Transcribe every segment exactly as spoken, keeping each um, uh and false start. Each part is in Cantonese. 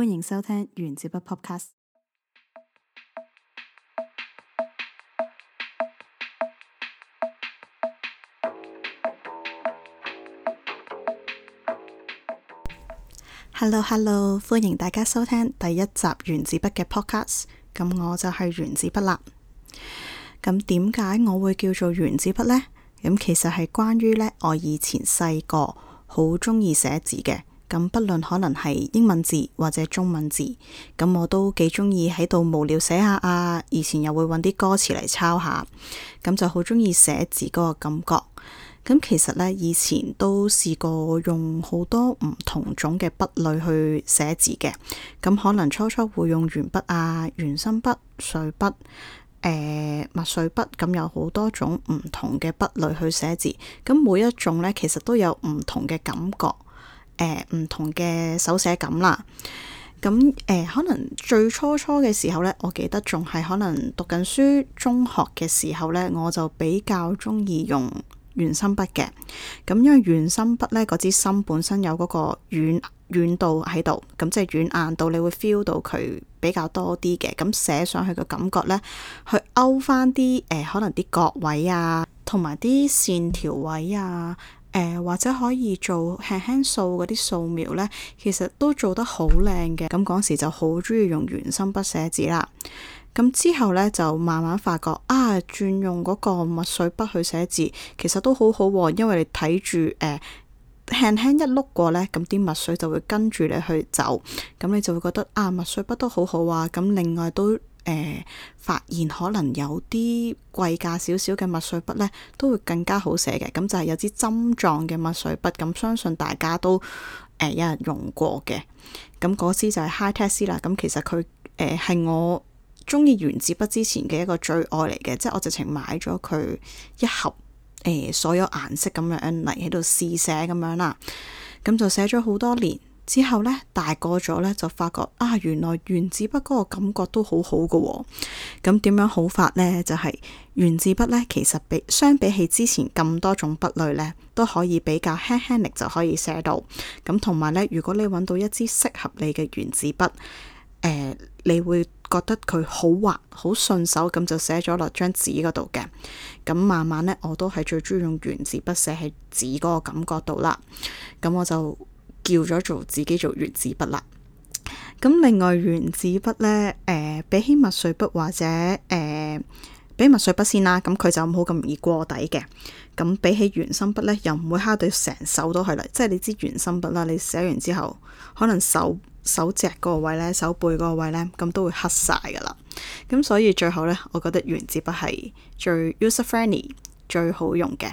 歡迎收聽原子筆 Podcast。Hello Hello，歡迎大家收聽第一集原子筆嘅 Podcast。咁我就係原子筆啦。咁點解我會叫做原子筆呢？咁其實係關於呢，我以前細個好中意寫字嘅。咁不論可能係英文字或者中文字，咁我都幾中意喺度無聊寫下啊。以前又會揾啲歌詞嚟抄下，咁就好中意寫字嗰個感覺。咁其實呢，以前都試過用好多唔同種嘅筆類去寫字嘅。咁可能初初會用鉛筆啊、原心筆、水筆、誒墨水筆，咁有好多種唔同嘅筆類去寫字。咁每一種呢，其實都有唔同嘅感覺。誒，唔、呃、同嘅手寫感啦，咁誒、呃，可能最初初嘅時候呢，我記得仲係可能讀緊書中學嘅時候呢，我就比較中意用圓心筆嘅。咁因為圓心筆呢，嗰支芯本身有嗰個軟軟度喺度，咁即係軟硬度，你會 feel 到佢比較多啲嘅。咁寫上去嘅感覺呢，去勾翻啲誒，可能啲角位啊，同埋啲線條位啊。誒、呃、或者可以做輕輕掃嗰啲掃描呢，其實都做得好靚嘅。咁嗰時就好中意用圓心筆寫字啦。咁之後呢，就慢慢發覺啊，轉用嗰個墨水筆去寫字，其實都好好喎。因為你睇住誒輕輕一碌過呢，咁啲墨水就會跟住你去走，咁你就會覺得啊，墨水筆都好好啊。咁另外都。誒、呃，發現可能有啲貴價少少嘅墨水筆呢，都會更加好寫嘅。咁就係有支針狀嘅墨水筆，咁相信大家都誒、呃、有人用過嘅。咁嗰支就係 Hi-Tech 啦。咁其實佢誒係我中意原子筆之前嘅一個最愛嚟嘅，即係我直情買咗佢一盒誒、呃、所有顏色咁樣嚟喺度試寫咁樣啦。咁就寫咗好多年。之後呢，大個咗呢，就發覺啊，原來原子筆嗰個感覺都好好㗎喎。咁點樣好法呢？就係、是、原子筆呢，其實比相比起之前咁多種筆類呢，都可以比較輕輕力就可以寫到。咁同埋呢，如果你揾到一支適合你嘅原子筆，呃，你會覺得佢好滑、好順手，咁就寫咗落張紙嗰度嘅。咁慢慢呢，我都係最中意用原子筆寫喺紙嗰個感覺度啦。咁我就叫咗做自己做原子筆啦。咁另外原子筆呢，誒、呃，比起墨水筆或者誒、呃，比墨水筆先啦，咁佢就冇咁容易過底嘅。咁比起原心筆呢，又唔會揩到成手都係啦。即係你知原心筆啦，你寫完之後，可能手手脊嗰個位呢，手背嗰個位呢，咁都會黑晒噶啦。咁所以最後呢，我覺得原子筆係最 user friendly 最好用嘅。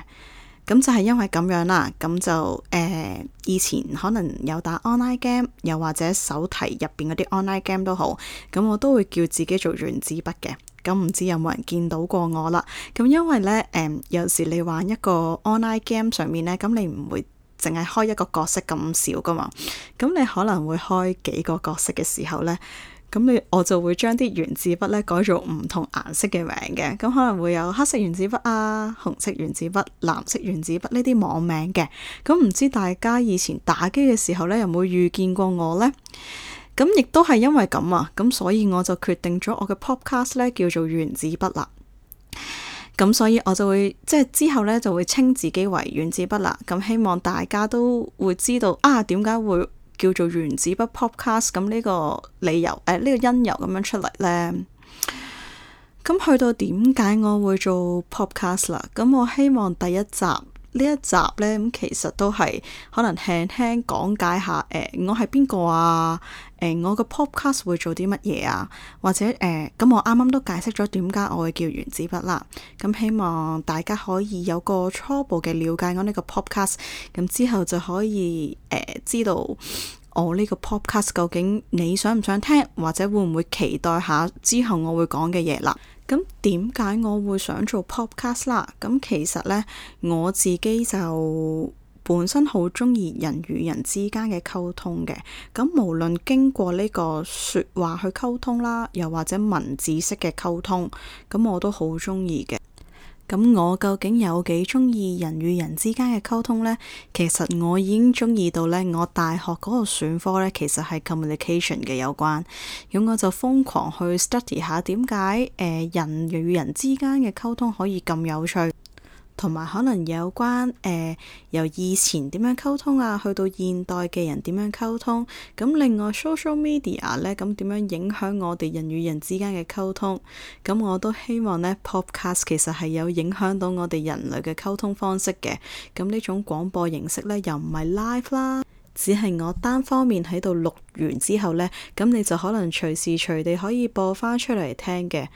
咁就係因為咁樣啦，咁就誒、呃、以前可能有打 online game，又或者手提入邊嗰啲 online game 都好，咁我都會叫自己做原子筆嘅。咁唔知有冇人見到過我啦？咁因為呢，誒、呃、有時你玩一個 online game 上面呢，咁你唔會淨係開一個角色咁少噶嘛，咁你可能會開幾個角色嘅時候呢。咁你我就會將啲原子筆咧改做唔同顏色嘅名嘅，咁可能會有黑色原子筆啊、紅色原子筆、藍色原子筆呢啲網名嘅。咁唔知大家以前打機嘅時候咧，有冇遇見過我呢？咁亦都係因為咁啊，咁所以我就決定咗我嘅 podcast 咧叫做原子筆啦。咁所以我就會即係之後咧就會稱自己為原子筆啦。咁希望大家都會知道啊，點解會叫做原子筆 podcast， 咁呢個理由誒呢、呃呢個因由咁樣出嚟呢？咁去到點解我會做 podcast 啦？咁我希望第一集呢一集呢，咁其實都係可能輕輕講解下誒、呃、我係邊個啊？誒、呃、我個 podcast 會做啲乜嘢啊？或者誒咁、呃、我啱啱都解釋咗點解我會叫原子筆啦。咁希望大家可以有個初步嘅了解我呢個 podcast， 咁之後就可以誒、呃、知道我呢個 podcast 究竟你想唔想聽，或者會唔會期待下之後我會講嘅嘢啦。咁點解我會想做 podcast 啦？咁其實呢，我自己就本身好中意人與人之間嘅溝通嘅。咁無論經過呢個說話去溝通啦，又或者文字式嘅溝通，咁我都好中意嘅。咁我究竟有幾中意人與人之間嘅溝通呢？其實我已經中意到呢，我大學嗰個選科呢，其實係 communication 嘅有關。咁我就瘋狂去 study 下點解誒人與人之間嘅溝通可以咁有趣。同埋可能有關誒、呃、由以前點樣溝通啊，去到現代嘅人點樣溝通。咁另外 social media 咧，咁點樣影響我哋人與人之間嘅溝通？咁我都希望呢 podcast 其實係有影響到我哋人類嘅溝通方式嘅。咁呢種廣播形式呢，又唔係 live 啦。只係我單方面喺度錄完之後呢，咁你就可能隨時隨地可以播翻出嚟聽嘅。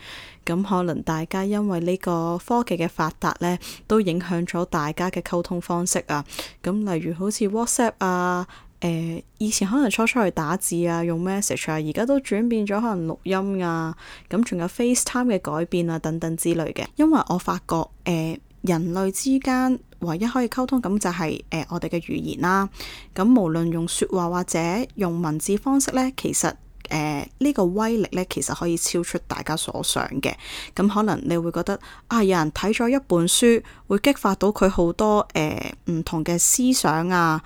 咁可能大家因為呢個科技嘅發達呢，都影響咗大家嘅溝通方式啊。咁例如好似 WhatsApp 啊，誒、呃、以前可能初初去打字啊，用 message 啊，而家都轉變咗可能錄音啊。咁仲有 FaceTime 嘅改變啊，等等之類嘅。因為我發覺誒、呃、人類之間唯一可以溝通咁就係、是、誒、呃、我哋嘅語言啦。咁無論用説話或者用文字方式呢，其實誒呢、呃這個威力呢，其實可以超出大家所想嘅。咁可能你會覺得啊，有人睇咗一本書，會激發到佢好多誒唔、呃、同嘅思想啊。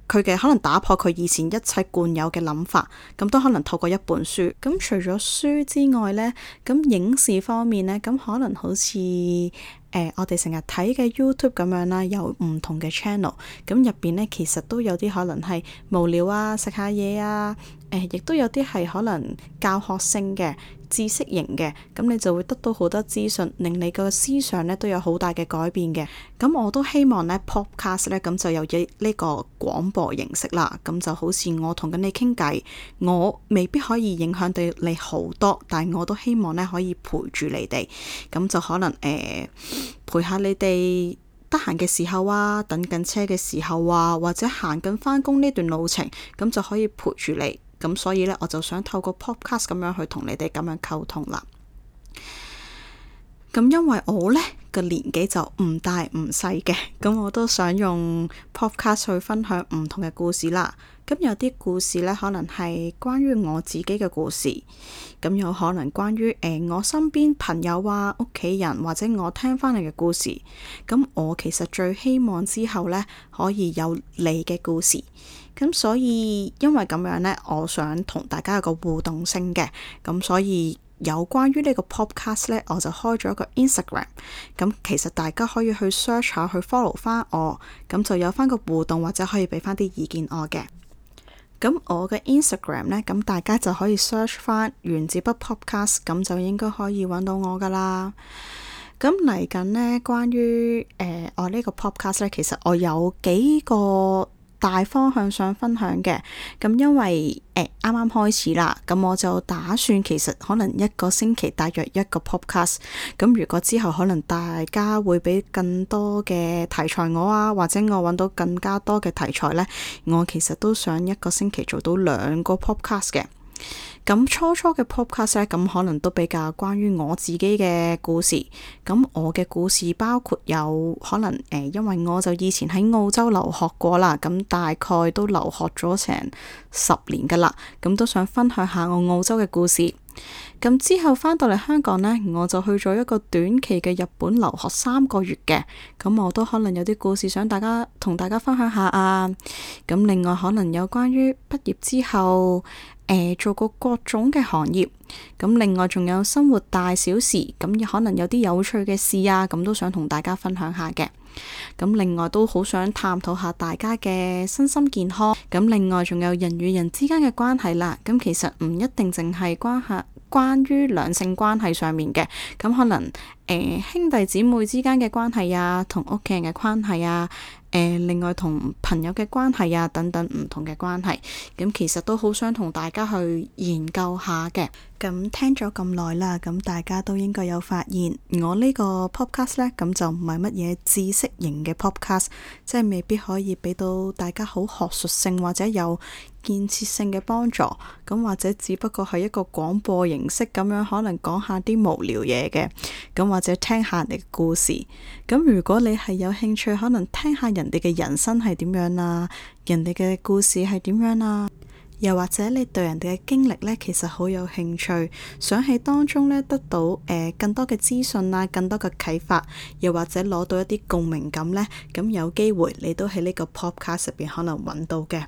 佢嘅可能打破佢以前一切慣有嘅諗法，咁都可能透過一本書。咁除咗書之外呢，咁影視方面呢，咁可能好似誒、呃、我哋成日睇嘅 YouTube 咁樣啦，有唔同嘅 channel，咁入邊呢，其實都有啲可能係無聊啊，食下嘢啊，誒、呃、亦都有啲係可能教學性嘅。知識型嘅，咁你就會得到好多資訊，令你個思想呢都有好大嘅改變嘅。咁我都希望呢 podcast 呢，咁就有呢個廣播形式啦。咁就好似我同緊你傾偈，我未必可以影響到你好多，但係我都希望呢可以陪住你哋。咁就可能誒、呃、陪下你哋得閒嘅時候啊，等緊車嘅時候啊，或者行緊返工呢段路程，咁就可以陪住你。咁所以呢，我就想透過 podcast 咁樣去同你哋咁樣溝通啦。咁因為我呢個年紀就唔大唔細嘅，咁我都想用 podcast 去分享唔同嘅故事啦。咁有啲故事呢，可能係關於我自己嘅故事，咁有可能關於誒、呃、我身邊朋友啊、屋企人或者我聽翻嚟嘅故事。咁我其實最希望之後呢，可以有你嘅故事。咁所以因為咁樣呢，我想同大家有個互動性嘅，咁所以有關於呢個 podcast 呢，我就開咗一個 Instagram。咁其實大家可以去 search 下，去 follow 翻我，咁就有翻個互動，或者可以俾翻啲意見我嘅。咁我嘅 Instagram 呢，咁大家就可以 search 翻原子筆 podcast，咁就應該可以揾到我噶啦。咁嚟緊呢，關於誒、呃、我呢個 podcast 呢，其實我有幾個大方向想分享嘅。咁因為誒啱啱開始啦，咁我就打算其實可能一個星期大約一個 podcast。咁如果之後可能大家會俾更多嘅題材我啊，或者我揾到更加多嘅題材呢，我其實都想一個星期做到兩個 podcast 嘅。咁初初嘅 podcast 咧，咁可能都比較關於我自己嘅故事。咁我嘅故事包括有可能誒、呃，因為我就以前喺澳洲留學過啦，咁大概都留學咗成十年噶啦，咁都想分享下我澳洲嘅故事。咁之後返到嚟香港呢，我就去咗一個短期嘅日本留學三個月嘅，咁我都可能有啲故事想大家同大家分享下啊。咁另外可能有關於畢業之後誒、呃、做過各種嘅行業，咁另外仲有生活大小事，咁可能有啲有趣嘅事啊，咁都想同大家分享下嘅。咁另外都好想探討下大家嘅身心健康。咁另外仲有人與人之間嘅關係啦。咁其實唔一定淨係關係關於兩性關係上面嘅，咁可能誒、呃、兄弟姊妹之間嘅關係啊，同屋企人嘅關係啊，誒、呃、另外同朋友嘅關係啊，等等唔同嘅關係，咁其實都好想同大家去研究下嘅。咁聽咗咁耐啦，咁大家都應該有發現，我呢個 podcast 呢，咁就唔係乜嘢知識型嘅 podcast，即係未必可以俾到大家好學術性或者有建設性嘅幫助，咁或者只不過係一個廣播形式咁樣，可能講下啲無聊嘢嘅，咁或者聽下人哋嘅故事。咁如果你係有興趣，可能聽下人哋嘅人生係點樣啊，人哋嘅故事係點樣啊，又或者你對人哋嘅經歷呢，其實好有興趣，想喺當中呢得到誒、呃、更多嘅資訊啊，更多嘅啟發，又或者攞到一啲共鳴感呢。咁有機會你都喺呢個 podcast 入邊可能揾到嘅。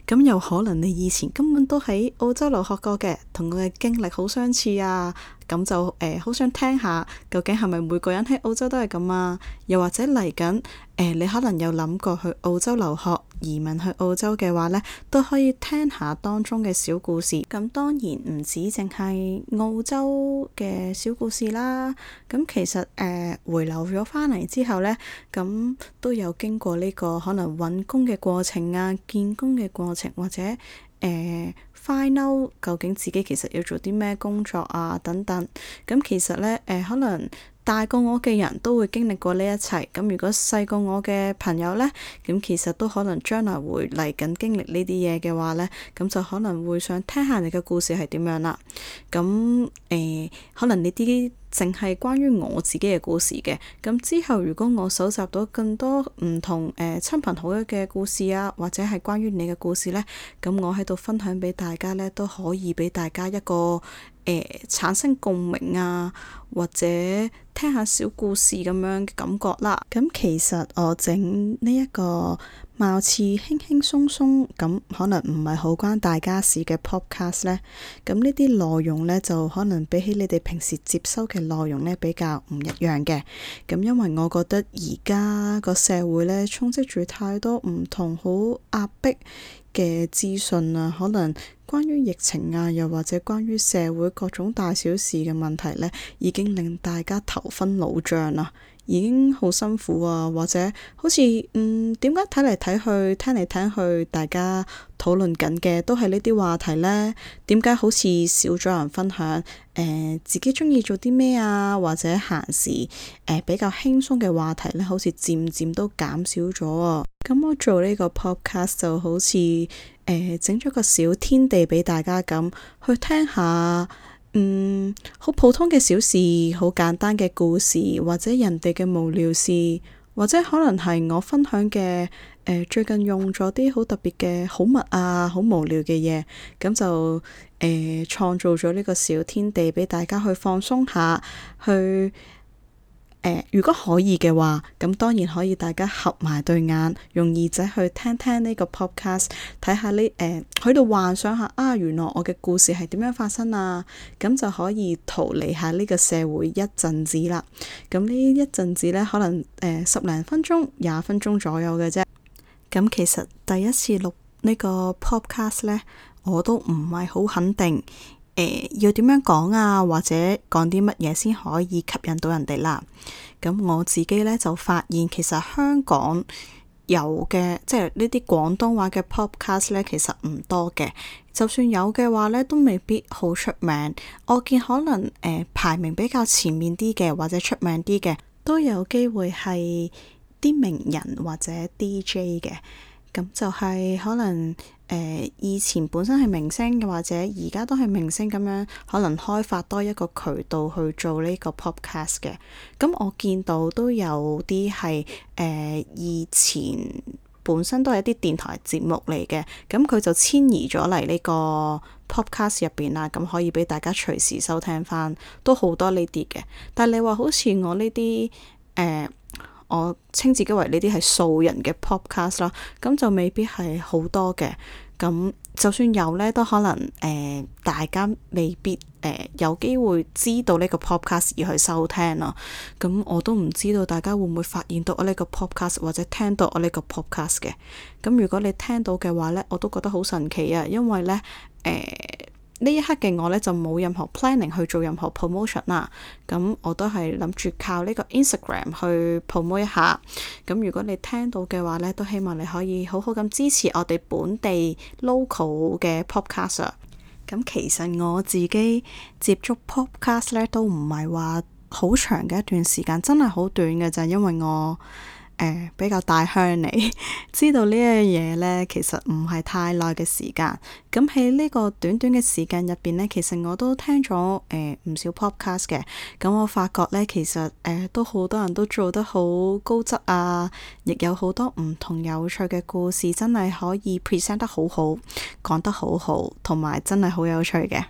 咁有可能你以前根本都喺澳洲留學過嘅，同我嘅經歷好相似啊。咁就誒好、呃、想聽下，究竟係咪每個人喺澳洲都係咁啊？又或者嚟緊誒，你可能有諗過去澳洲留學、移民去澳洲嘅話呢，都可以聽下當中嘅小故事。咁當然唔止淨係澳洲嘅小故事啦。咁其實誒、呃、回流咗返嚟之後呢，咁都有經過呢個可能揾工嘅過程啊、見工嘅過程，或者誒、呃、find out 究竟自己其實要做啲咩工作啊等等。咁其實呢，誒、呃、可能大過我嘅人都會經歷過呢一切。咁如果細過我嘅朋友呢，咁其實都可能將來會嚟緊經歷呢啲嘢嘅話呢，咁就可能會想聽下你嘅故事係點樣啦。咁誒、呃，可能呢啲淨係關於我自己嘅故事嘅。咁之後如果我搜集到更多唔同誒、呃、親朋好友嘅故事啊，或者係關於你嘅故事呢，咁我喺度分享俾大家呢，都可以俾大家一個誒、呃、產生共鳴啊，或者聽下小故事咁樣嘅感覺啦。咁其實我整呢一個貌似輕輕鬆鬆咁，可能唔係好關大家事嘅 podcast 呢。咁呢啲內容呢，就可能比起你哋平時接收嘅內容呢，比較唔一樣嘅。咁因為我覺得而家個社會呢，充斥住太多唔同好壓迫嘅資訊啊，可能關於疫情啊，又或者關於社會各種大小事嘅問題呢，已經令大家頭昏腦脹啦，已經好辛苦啊，或者好似嗯點解睇嚟睇去，聽嚟聽去，大家討論緊嘅都係呢啲話題呢？點解好似少咗人分享誒、呃、自己中意做啲咩啊，或者閒時誒、呃、比較輕鬆嘅話題呢？好似漸漸都減少咗啊！咁我做呢個 podcast 就好似誒整咗個小天地俾大家咁去聽下。嗯，好普通嘅小事，好簡單嘅故事，或者人哋嘅無聊事，或者可能係我分享嘅誒、呃、最近用咗啲好特別嘅好物啊，好無聊嘅嘢，咁就誒創造咗呢個小天地俾大家去放鬆下去。呃、如果可以嘅話，咁當然可以大家合埋對眼，用耳仔去聽聽呢個 podcast， 睇下呢誒喺度幻想下啊，原來我嘅故事係點樣發生啊，咁就可以逃離下呢個社會一陣子啦。咁呢一陣子呢，可能誒、呃、十零分鐘、廿分鐘左右嘅啫。咁其實第一次錄呢個 podcast 呢，我都唔係好肯定。誒、呃，要點樣講啊，或者講啲乜嘢先可以吸引到人哋啦？咁我自己咧就發現，其實香港有嘅即係呢啲廣東話嘅 podcast 咧，其實唔多嘅。就算有嘅話咧，都未必好出名。我見可能誒、呃、排名比較前面啲嘅，或者出名啲嘅，都有機會係啲名人或者 D J 嘅。咁就係可能誒、呃、以前本身係明星嘅，或者而家都係明星咁樣，可能開發多一個渠道去做呢個 podcast 嘅。咁我見到都有啲係誒以前本身都係一啲電台節目嚟嘅，咁佢就遷移咗嚟呢個 podcast 入邊啦，咁可以俾大家隨時收聽翻，都好多呢啲嘅。但係你話好似我呢啲誒。呃我稱自己為呢啲係素人嘅 podcast 啦，咁就未必係好多嘅。咁就算有呢，都可能誒、呃、大家未必誒、呃、有機會知道呢個 podcast 而去收聽咯。咁我都唔知道大家會唔會發現到我呢個 podcast 或者聽到我呢個 podcast 嘅。咁如果你聽到嘅話呢，我都覺得好神奇啊，因為呢。誒、呃。呢一刻嘅我呢，就冇任何 planning 去做任何 promotion 啦，咁我都係諗住靠呢個 Instagram 去 promote 一下。咁如果你聽到嘅話呢，都希望你可以好好咁支持我哋本地 local 嘅 podcast。咁其實我自己接觸 podcast 呢，都唔係話好長嘅一段時間，真係好短嘅咋，因為我呃、比較大鄉里，知道呢樣嘢呢，其實唔係太耐嘅時間。咁喺呢個短短嘅時間入邊呢，其實我都聽咗誒唔少 podcast 嘅。咁我發覺呢，其實誒、呃、都好多人都做得好高質啊，亦有好多唔同有趣嘅故事，真係可以 present 得好好，講得好好，同埋真係好有趣嘅。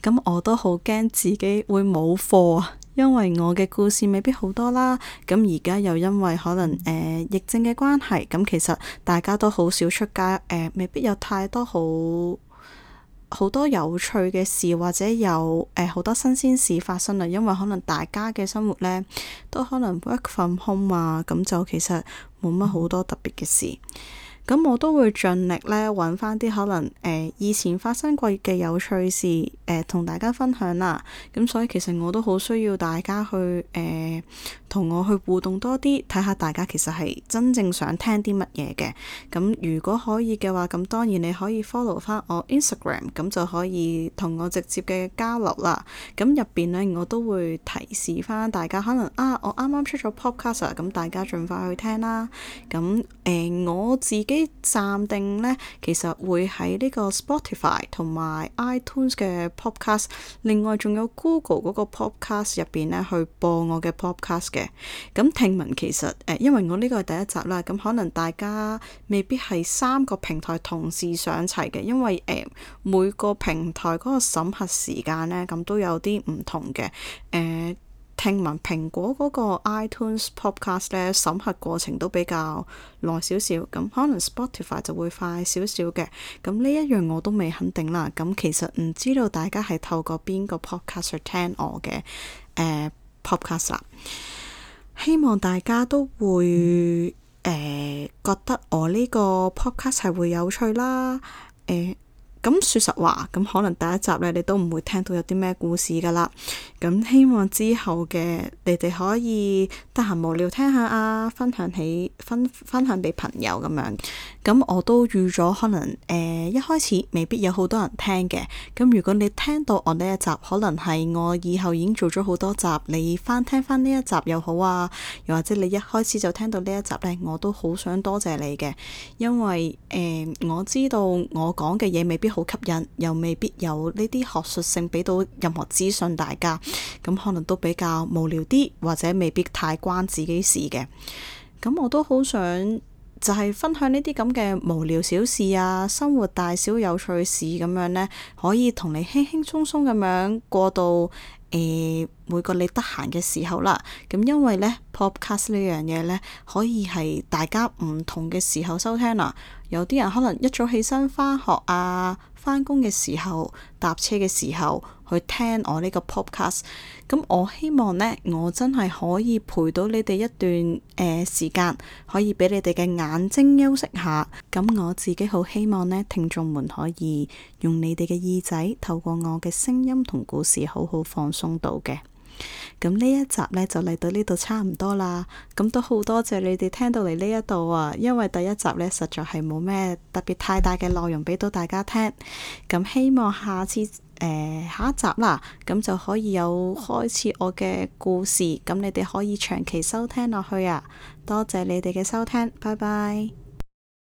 咁我都好驚自己會冇貨啊，因為我嘅故事未必好多啦。咁而家又因為可能誒、呃、疫症嘅關係，咁其實大家都好少出街，誒、呃、未必有太多好好多有趣嘅事，或者有誒好、呃、多新鮮事發生啦。因為可能大家嘅生活呢都可能 work from home 啊，咁就其實冇乜好多特別嘅事。咁我都會盡力咧揾翻啲可能誒、呃、以前發生過嘅有趣事誒同、呃、大家分享啦。咁所以其實我都好需要大家去誒同、呃、我去互動多啲，睇下大家其實係真正想聽啲乜嘢嘅。咁如果可以嘅話，咁當然你可以 follow 翻我 Instagram，咁就可以同我直接嘅交流啦。咁入邊呢，我都會提示翻大家，可能啊我啱啱出咗 podcast，咁大家盡快去聽啦。咁誒、呃、我自己暫定呢，其實會喺呢個 Spotify 同埋 iTunes 嘅 podcast，另外仲有 Google 嗰個 podcast 入邊呢去播我嘅 podcast 嘅。咁聽聞其實誒、呃，因為我呢個係第一集啦，咁可能大家未必係三個平台同時上齊嘅，因為誒、呃、每個平台嗰個審核時間呢，咁都有啲唔同嘅誒。呃聽聞蘋果嗰個 iTunes Podcast 咧審核過程都比較耐少少，咁可能 Spotify 就會快少少嘅。咁呢一樣我都未肯定啦。咁其實唔知道大家係透過邊個 Podcast 去聽我嘅誒、呃、Podcast 啦。希望大家都會誒、呃、覺得我呢個 Podcast 係會有趣啦。誒、呃。咁說實話，咁可能第一集咧，你都唔會聽到有啲咩故事噶啦。咁希望之後嘅你哋可以得閒無聊聽下啊，分享起分分享俾朋友咁樣。咁我都預咗可能誒、呃、一開始未必有好多人聽嘅。咁如果你聽到我呢一集，可能係我以後已經做咗好多集，你翻聽翻呢一集又好啊，又或者你一開始就聽到呢一集呢，我都好想多謝你嘅，因為誒、呃、我知道我講嘅嘢未必好吸引，又未必有呢啲學術性俾到任何資訊大家，咁可能都比較無聊啲，或者未必太關自己事嘅。咁我都好想就係分享呢啲咁嘅無聊小事啊，生活大小有趣事咁樣呢，可以同你輕輕鬆鬆咁樣過到誒、呃、每個你得閒嘅時候啦。咁因為呢 podcast 呢樣嘢呢，可以係大家唔同嘅時候收聽啦。有啲人可能一早起身返學啊，返工嘅時候，搭車嘅時候去聽我呢個 podcast。咁我希望呢，我真係可以陪到你哋一段誒、呃、時間，可以俾你哋嘅眼睛休息下。咁我自己好希望呢，聽眾們可以用你哋嘅耳仔，透過我嘅聲音同故事，好好放鬆到嘅。咁呢一集呢，就嚟到呢度差唔多啦，咁都好多謝你哋聽到嚟呢一度啊，因為第一集呢，實在係冇咩特別太大嘅內容俾到大家聽，咁希望下次誒、呃、下一集啦，咁就可以有開始我嘅故事，咁你哋可以長期收聽落去啊，多謝你哋嘅收聽，拜拜。